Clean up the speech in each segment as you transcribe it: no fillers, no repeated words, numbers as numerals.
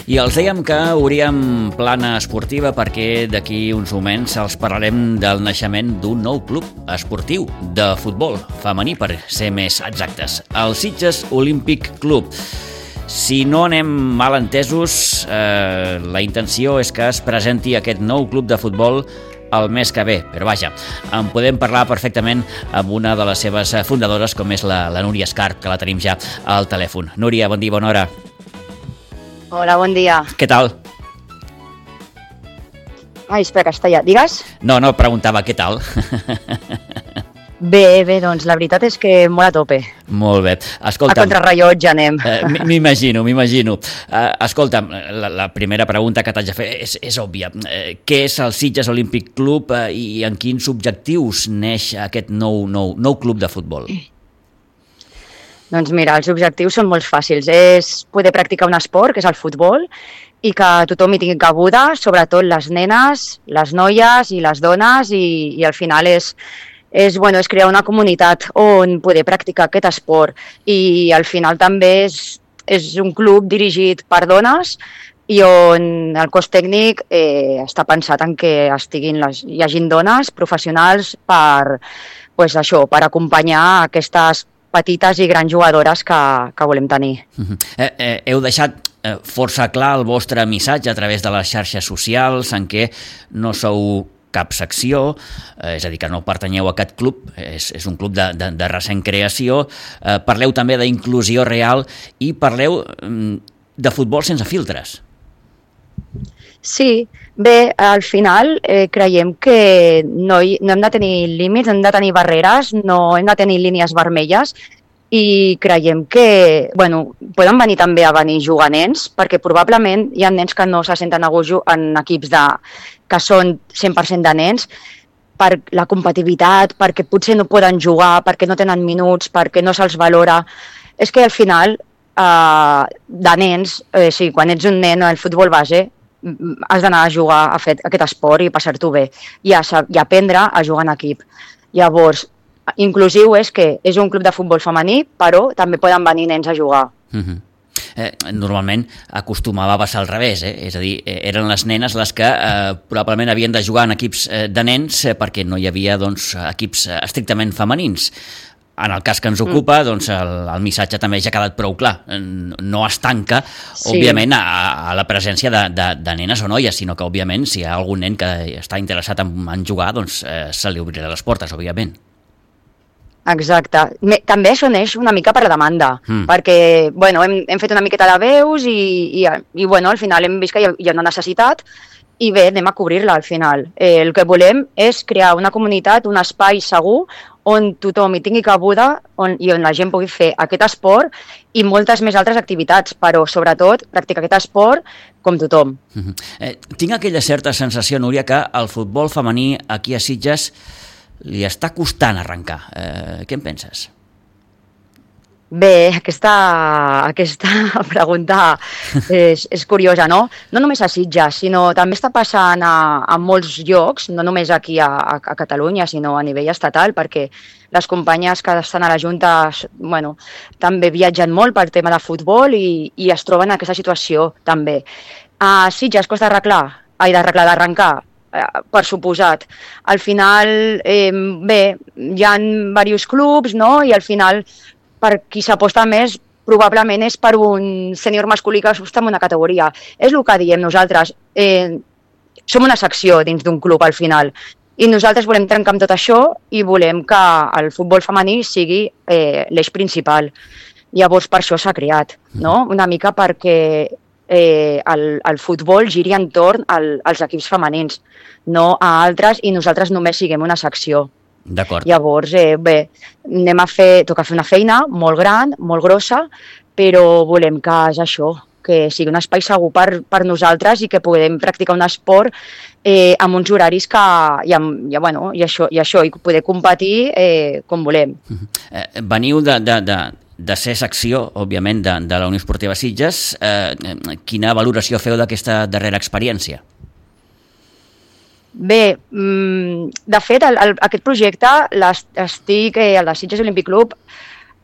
I els dèiem que obríem plana esportiva perquè d'aquí uns moments els parlarem del naixement d'un nou club esportiu de futbol femení, per ser més exactes, el Sitges Olímpic Club. Si no anem mal entesos, la intenció és que es presenti aquest nou club de futbol el mes que ve, però vaja, en podem parlar perfectament amb una de les seves fundadores, com és la Núria Escarp, que la tenim ja al telèfon. Núria, bon dia, bona hora. Hola, bon dia. Què tal? Ai, espera, castellà. Digues? No, preguntava què tal. Bé, doncs la veritat és que molt a tope. Molt bé. Escolta'm, a contrarrellotge anem. M'imagino. Escolta'm, la primera pregunta que t'haig de fer és òbvia. Què és el Sitges Olímpic Club i en quins objectius neix aquest nou club de futbol? Doncs mira, els objectius són molt fàcils. És poder practicar un esport, que és el futbol, i que tothom hi tingui cabuda, sobretot les nenes, les noies i les dones, i al final és crear una comunitat on poder practicar aquest esport. I al final també és un club dirigit per dones i on el cos tècnic està pensat en que hi hagin dones professionals per acompanyar aquestes petites i grans jugadores que volem tenir. Heu deixat força clar el vostre missatge a través de les xarxes socials en què no sou cap secció, és a dir, que no pertanyeu a aquest club, és un club de recent creació. Parleu també d'inclusió real i parleu de futbol sense filtres. Sí, bé, al final creiem que no hem de tenir límits, hem de tenir barreres, no hem de tenir línies vermelles i creiem que poden venir també a jugar nens, perquè probablement hi ha nens que no se senten a gust en equips que són 100% de nens, per la competitivitat, perquè potser no poden jugar, perquè no tenen minuts, perquè no se'ls valora. És que al final, de nens, quan ets un nen al futbol base, has d'anar a jugar a fer aquest esport i passar-t'ho bé i aprendre a jugar en equip. Llavors, inclusiu és que és un club de futbol femení, però també poden venir nens a jugar. Normalment acostumava a passar al revés, és a dir, eren les nenes les que probablement havien de jugar en equips de nens perquè no hi havia equips estrictament femenins. En el cas que ens ocupa, el missatge també ja ha quedat prou clar. No es tanca, òbviament, a la presència de nenes o noies, sinó que, òbviament, si hi ha algun nen que està interessat en jugar, se li obrirà les portes, òbviament. Exacte. També això neix una mica per la demanda, perquè hem fet una miqueta de veus i al final hem vist que hi ha una necessitat i bé, anem a cobrir-la al final. El que volem és crear una comunitat, un espai segur on tothom hi tingui cabuda i on la gent pugui fer aquest esport i moltes més altres activitats, però sobretot practicar aquest esport com tothom. Tinc aquella certa sensació, Núria, que el futbol femení aquí a Sitges li està costant arrencar. Què en penses? Bé, aquesta pregunta és curiosa, no? No només a Sitges, sinó també està passant a molts llocs, no només aquí a Catalunya, sinó a nivell estatal, perquè les companyes que estan a la Junta també viatgen molt per tema de futbol i es troben en aquesta situació també. A Sitges costa d'arrencar, per suposat. Al final, hi ha diversos clubs, no? I al final per qui s'aposta més probablement és per un sènior masculí que està en una categoria. És el que diem nosaltres. Som una secció dins d'un club al final i nosaltres volem trencar amb tot això i volem que el futbol femení sigui l'eix principal. Llavors per això s'ha creat, no? Una mica perquè el futbol giri entorn als equips femenins, no a altres, i nosaltres només siguem una secció. D'acord. Llavors, toca fer una feina molt gran, molt grossa, però volem que és això, que sigui un espai segur per nosaltres i que puguem practicar un esport amb uns horaris i poder competir com volem. Veniu de ser secció, òbviament, de la Unió Esportiva Sitges. Quina valoració feu d'aquesta darrera experiència? Bé, de fet, aquest projecte el de Sitges Olímpic Club,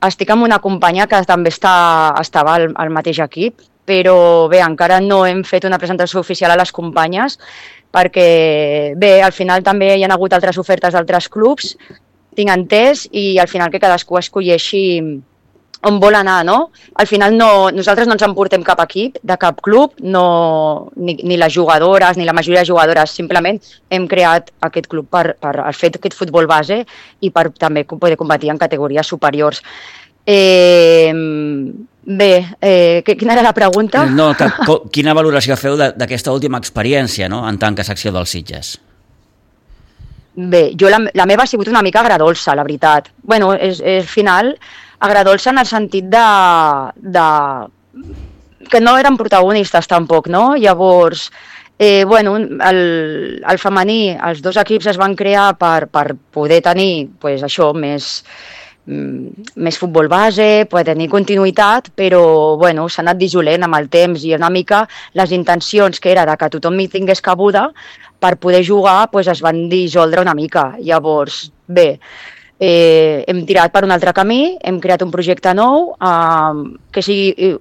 estic amb una companya que també estava al mateix equip però bé, encara no hem fet una presentació oficial a les companyes, perquè bé, al final també hi ha hagut altres ofertes d'altres clubs, tinc entès, i al final que cadascú escolleixi on vol anar, no? Al final nosaltres no ens emportem cap equip, de cap club, ni les jugadores, ni la majoria de jugadores, simplement hem creat aquest club per fer aquest futbol base i per també poder competir en categories superiors. Quina era la pregunta? No, quina valoració feu d'aquesta última experiència, no?, en tant que secció dels Sitges? Bé, la meva ha sigut una mica agradolça, la veritat. Bueno, és final agradolça en el sentit que no eren protagonistes tampoc, no? Llavors, bueno, el femení, els dos equips es van crear per poder tenir, pues, això, més futbol base, poder tenir continuïtat, però bueno, s'ha anat dissolent amb el temps i una mica les intencions que era de que tothom hi tingués cabuda per poder jugar, pues, es van dissoldre una mica. Llavors, bé, hem tirat per un altre camí, hem creat un projecte nou que sigui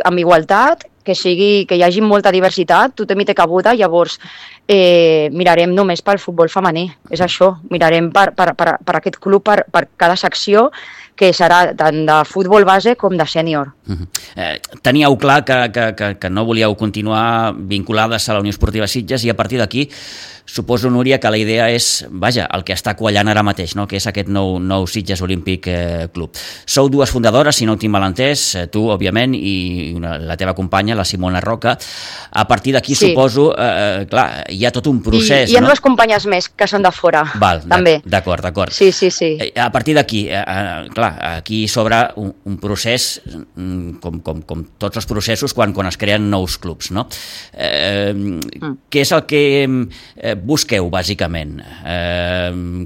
amb igualtat, que hi hagi molta diversitat, tothom hi té cabuda, llavors mirarem només pel futbol femení, és això, mirarem per aquest club, per cada secció, que serà tant de futbol base com de sènior. Teníeu clar que no volíeu continuar vinculades a la Unió Esportiva Sitges i a partir d'aquí suposo, Núria, que la idea és, vaja, el que està quallant ara mateix, no?, que és aquest nou Sitges Olímpic Club. Sou dues fundadores, si no ho tinc mal entès, tu, òbviament, i la teva companya, la Simona Roca. A partir d'aquí, sí, suposo, clar, hi ha tot un procés, hi ha dues companyes més que són de fora, també. D'acord. Sí. A partir d'aquí, clar, aquí s'obre un procés, com tots els processos, quan es creen nous clubs, no? Què és el que busqueu, bàsicament?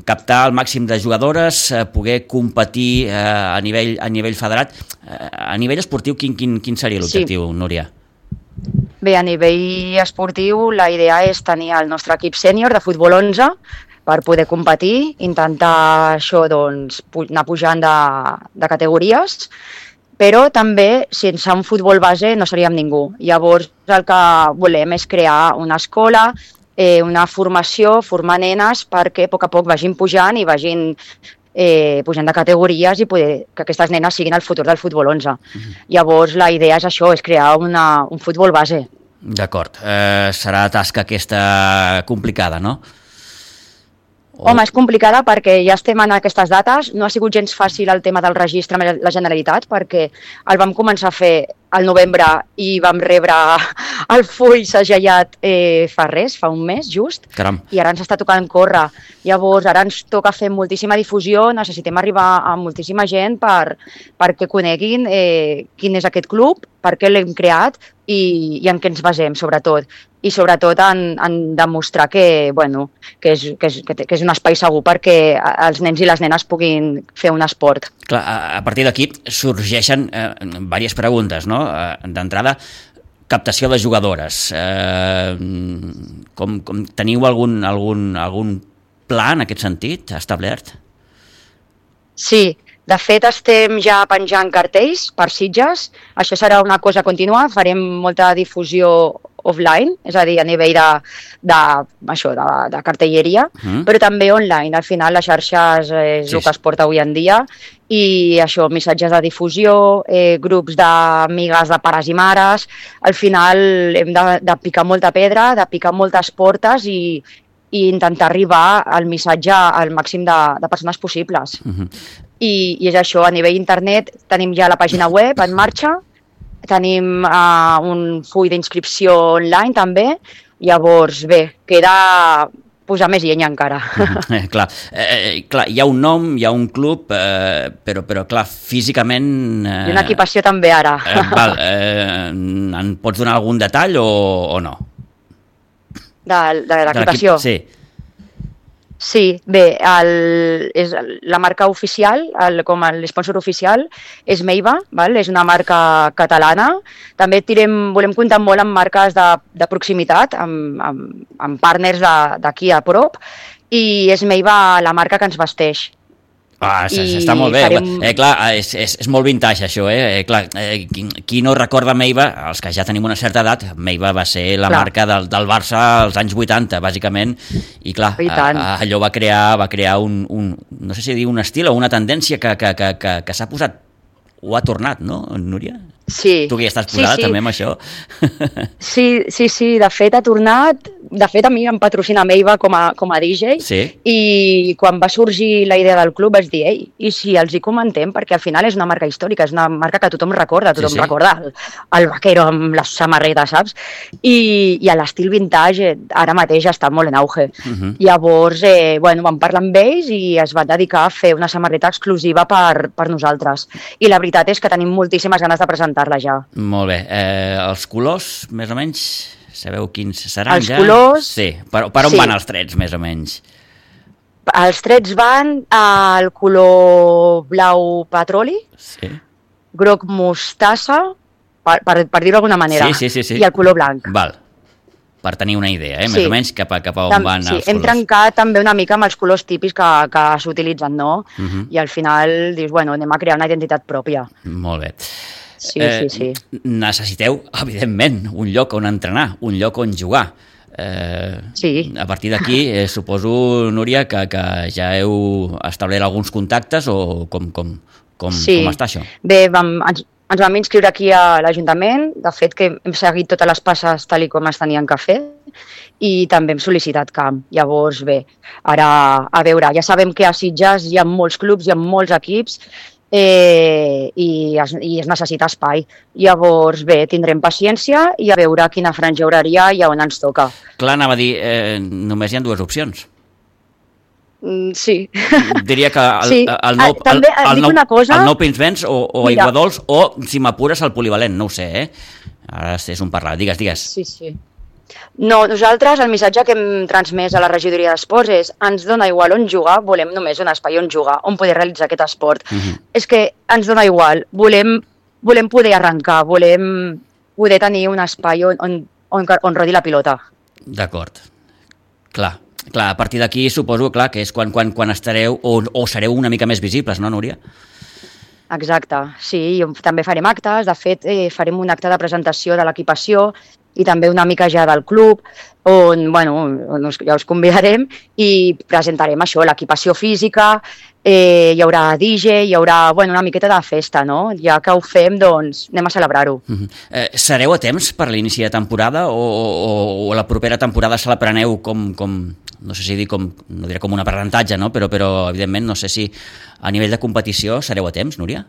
Captar el màxim de jugadores, poder competir a nivell federat. A nivell esportiu, quin seria l'objectiu, Núria? Bé, a nivell esportiu la idea és tenir el nostre equip sènior de futbol 11 per poder competir, intentar això, doncs, anar pujant de categories, però també sense un futbol base no seríem ningú. Llavors el que volem és crear una escola, una formació, formar nenes perquè a poc vagin pujant i vagin pujant de categories i poder que aquestes nenes siguin el futur del futbol 11. Llavors la idea és això, és crear un futbol base. D'acord. Serà tasca aquesta complicada, no? Home, és complicada perquè ja estem en aquestes dates. No ha sigut gens fàcil el tema del registre amb la Generalitat perquè el vam començar a fer al novembre i vam rebre el full segellat fa un mes, just. Caram. I ara ens està tocant córrer. Llavors, ara ens toca fer moltíssima difusió, necessitem arribar a moltíssima gent perquè coneguin quin és aquest club, per què l'hem creat i en què ens basem, sobretot. I sobretot en demostrar que és un espai segur perquè els nens i les nenes puguin fer un esport. Clar, a partir d'aquí sorgeixen diverses preguntes, no? D'entrada, captació de jugadores. Teniu algun pla en aquest sentit establert? Sí, de fet estem ja penjant cartells per Sitges. Això serà una cosa contínua, farem molta difusió offline, és a dir, a nivell de cartelleria, però també online. Al final les xarxes és el que es porta avui en dia i això, missatges de difusió, grups d'amigues de pares i mares. Al final hem de picar molta pedra, de picar moltes portes i intentar arribar al missatge al màxim de persones possibles. I és això, a nivell internet tenim ja la pàgina web en marxa, tenim un full d'inscripció online també, llavors bé, queda posar més llenya encara. Clar, hi ha un nom, hi ha un club, però clar, físicament... I una equipació també ara. En pots donar algun detall o no? De l'equipació? Sí. Sí, bé, la marca oficial, com l'esponsor oficial, és Meiva, és una marca catalana. També volem comptar molt amb marques de proximitat, amb partners d'aquí a prop, i és Meiva la marca que ens vesteix. Està molt bé. Clar, és molt vintage això, clar, qui no recorda Meiva, els que ja tenim una certa edat, Meiva va ser la marca del Barça als anys 80, bàsicament, i clar, allò va crear un no sé si dir un estil o una tendència que s'ha posat, o ha tornat, no, Núria? Sí. Tu que ja estàs posada també amb això. Sí, de fet ha tornat. De fet, a mi em patrocina Meiva com a DJ, i quan va sorgir la idea del club vaig dir, ei, i si els hi comentem, perquè al final és una marca històrica, és una marca que tothom recorda, recorda el vaquero amb les samarretes, saps? I l'estil vintage ara mateix està molt en auge. Llavors, vam parlar amb ells i es van dedicar a fer una samarreta exclusiva per nosaltres. I la veritat és que tenim moltíssimes ganes de presentar-la ja. Molt bé. Els colors, més o menys... Sabeu quins seran els ja? Els colors... Sí, per on van els trets, més o menys? Els trets van al color blau petroli, groc mostassa, per dir-ho d'alguna manera, i el color blanc. Val, per tenir una idea, més o menys cap a on van els colors. Hem trencat també una mica amb els colors típics que s'utilitzen, no? I al final dius, anem a crear una identitat pròpia. Molt bé. Sí. Necessiteu, evidentment, un lloc on entrenar, un lloc on jugar. A partir d'aquí, suposo, Núria, que ja heu establert alguns contactes o com està això? Bé, ens vam inscriure aquí a l'Ajuntament, de fet que hem seguit totes les passes tal com es tenien que fer, i també hem sol·licitat camp. Llavors, bé, ara, a veure, ja sabem que a Sitges hi ha molts clubs, hi ha molts equips, i es necessita espai. Llavors, bé, tindrem paciència i a veure quina franja horària i a on ens toca. Clar, anava a dir, només hi ha dues opcions. Sí. Diria que el Nou Pinsbens o Aiguadols o, si m'apures, el polivalent, no ho sé, Ara és un parlar. Digues. Sí. No, nosaltres el missatge que hem transmès a la regidoria d'esports és ens dona igual on jugar, volem només un espai on jugar, on poder realitzar aquest esport. És que ens dona igual, volem poder arrencar, volem poder tenir un espai on rodi la pilota. D'acord. Clar, a partir d'aquí suposo que és quan estareu o sereu una mica més visibles, no, Núria? Exacte, sí, també farem actes, de fet farem un acte de presentació de l'equipació i també una mica ja del club, on ja us convidarem i presentarem això, l'equipació física, hi haurà DJ, hi haurà una miqueta de festa, no? Ja que ho fem, doncs anem a celebrar-ho. Sereu a temps per l'inici de temporada o la propera temporada se la preneu com no sé si dir no diré com un aprenentatge, no? Però evidentment no sé si a nivell de competició sereu a temps, Núria?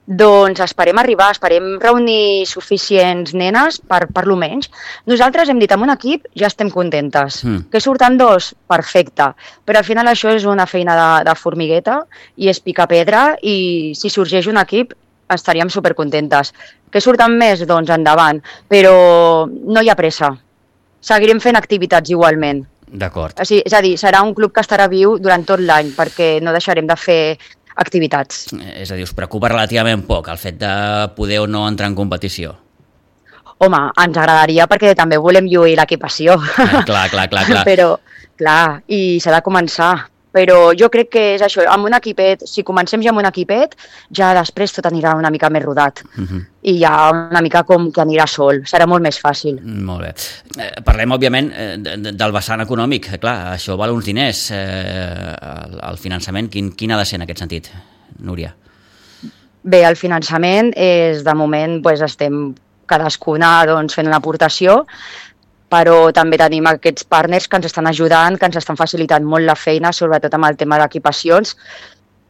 Doncs esperem reunir suficients nenes per lo menys. Nosaltres hem dit amb un equip ja estem contentes. Que surten 2? Perfecte. Però al final això és una feina de formigueta i és picar pedra i si sorgeix un equip estaríem supercontentes. Que surten més? Doncs endavant. Però no hi ha pressa. Seguirem fent activitats igualment. D'acord. És a dir, serà un club que estarà viu durant tot l'any perquè no deixarem de fer activitats. És a dir, us preocupa relativament poc el fet de poder o no entrar en competició? Home, ens agradaria perquè també volem lluir l'equipació. Clar. Però, clar, i s'ha de començar. Però jo crec que és això, amb un equipet, si comencem ja amb un equipet, ja després tot anirà una mica més rodat. I ja una mica com que anirà sol, serà molt més fàcil. Molt bé. Parlem, òbviament, del vessant econòmic. Clar, això val uns diners. El finançament, quin ha de ser en aquest sentit, Núria? Bé, el finançament és, de moment, estem cadascuna fent una aportació, però també tenim aquests partners que ens estan ajudant, que ens estan facilitant molt la feina, sobretot amb el tema d'equipacions,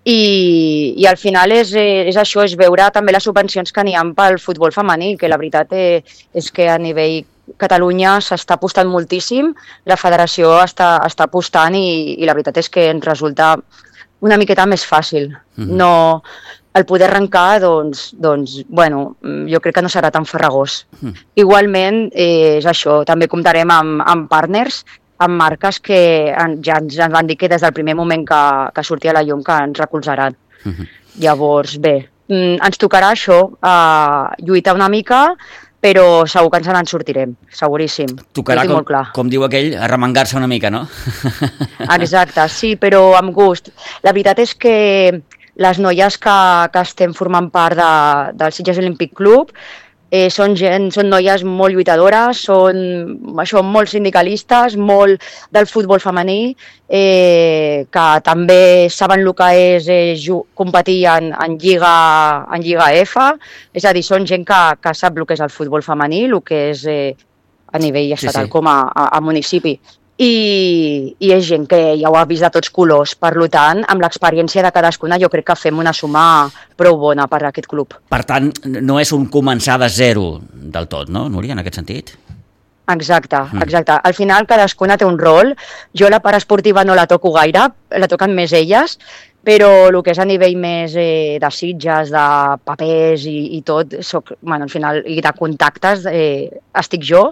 i al final és això, és veure també les subvencions que n'hi ha pel futbol femení, que la veritat és que a nivell Catalunya s'està apostant moltíssim, la federació està apostant i la veritat és que ens resulta una miqueta més fàcil. No... El poder arrencar, jo crec que no serà tan farragós. Igualment, és això, també comptarem amb partners, amb marques que ja ens van dir que des del primer moment que sortia la llum que ens recolzaran. Llavors, bé, ens tocarà això, lluitar una mica, però segur que ens en sortirem, seguríssim. Tocarà, com diu aquell, arremangar-se una mica, no? Exacte, sí, però amb gust. La veritat és que les noies que estem formant part del Sitges Olímpic Club són noies molt lluitadores, són molt sindicalistes, molt del futbol femení, que també saben el que és competir en Lliga F, és a dir, són gent que sap el que és el futbol femení, el que és a nivell estatal com a municipi. I és gent que ja ho ha vist de tots colors. Per tant, amb l'experiència de cadascuna jo crec que fem una suma prou bona per a aquest club. Per tant, no és un començar de zero del tot, no, Núria, en aquest sentit? Exacte. Al final cadascuna té un rol. Jo la part esportiva no la toco gaire, la toquen més elles, però el que és a nivell més de sitges, de papers i tot, al final, i de contactes, estic jo,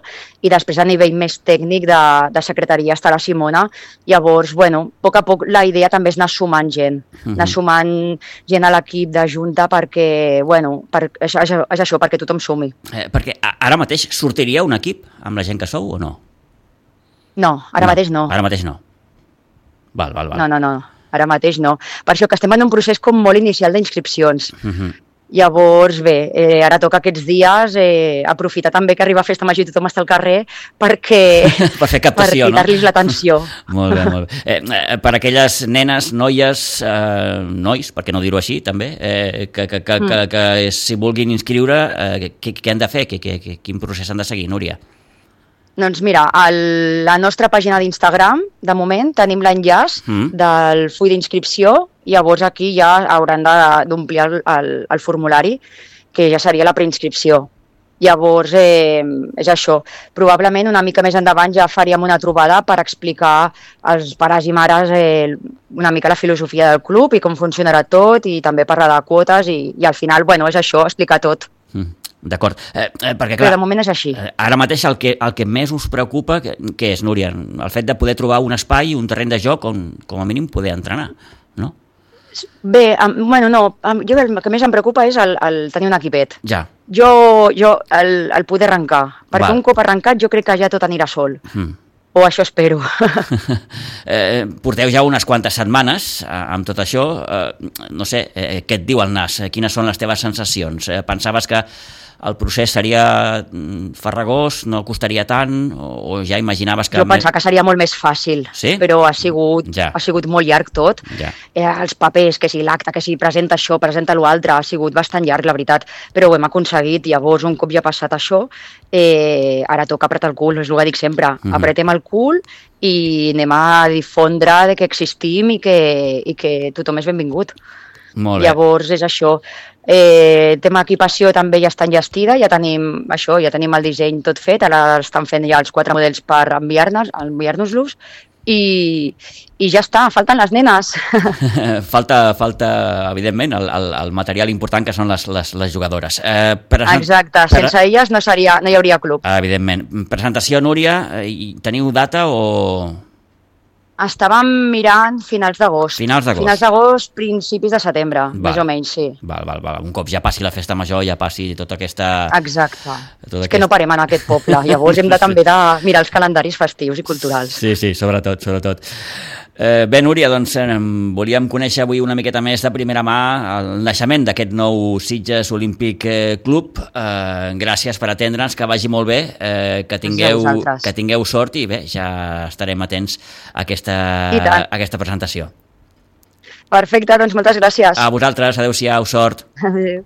i després a nivell més tècnic de secretaria està la Simona. Llavors, a poc a poc la idea també és anar sumant gent, anar sumant gent a l'equip de junta perquè, és això, perquè tothom sumi. Perquè ara mateix sortiria un equip amb la gent que sou o no? No, ara mateix no. Ara mateix no. Val. No. Ara mateix no. Per això que estem en un procés com molt inicial d'inscripcions. Llavors, ara toca aquests dies aprofitar també que arriba Festa Major i tothom està al carrer per fer captació, per cridar-los l'atenció. Molt bé. Per aquelles nenes, noies, nois, per què no dir-ho així, també, que si vulguin inscriure, què han de fer? Quin procés han de seguir, Núria? Doncs mira, a la nostra pàgina d'Instagram, de moment, tenim l'enllaç del full d'inscripció, llavors aquí ja hauran d'omplir el formulari, que ja seria la preinscripció. Llavors, és això. Probablement una mica més endavant ja faríem una trobada per explicar als pares i mares una mica la filosofia del club i com funcionarà tot, i també parlar de quotes, i al final, és això, explicar tot. D'acord, perquè clar, però de moment és així. Ara mateix el que més us preocupa, què és, Núria? El fet de poder trobar un espai, un terreny de joc on, com a mínim, poder entrenar, no? Bé, no, jo el que més em preocupa és el tenir un equipet. Ja. Jo el poder arrencar, perquè un cop arrencat jo crec que ja tot anirà sol. O això espero. Porteu ja unes quantes setmanes amb tot això. No sé, què et diu el nas? Quines són les teves sensacions? Pensaves que el procés seria farragós, no costaria tant, o ja imaginaves que... Jo pensava que seria molt més fàcil, sí? Però ha sigut molt llarg tot. Ja. Els papers, que si l'acte, que si presenta això, presenta l'altre, ha sigut bastant llarg, la veritat, però ho hem aconseguit. Llavors, un cop ja ha passat això, ara toca apretar el cul, és el que dic sempre. Apretem el cul i anem a difondre que existim i que tothom és benvingut. Molt bé. Llavors és això. Tema equipació també ja està enllestida, ja tenim el disseny tot fet, ara estan fent ja els 4 models per enviar-nos-los i ja està, falten les nenes. Falta evidentment, el material important que són les jugadores. Exacte, sense elles no hi hauria club. Evidentment. Presentació, Núria, teniu data o...? Estàvem mirant finals d'agost. Finals d'agost, principis de setembre, més o menys, sí. Val. Un cop ja passi la festa major, ja passi tota aquesta... Exacte. És que no parem en aquest poble. Llavors hem també de mirar els calendaris festius i culturals. Sí, sobretot. Bé, Núria, doncs volíem conèixer avui una miqueta més de primera mà el naixement d'aquest nou Sitges Olímpic Club. Gràcies per atendre'ns, que vagi molt bé, que tingueu sort i bé, ja estarem atents a aquesta presentació. Perfecte, doncs moltes gràcies. A vosaltres, adeu-siau, sort. Adéu.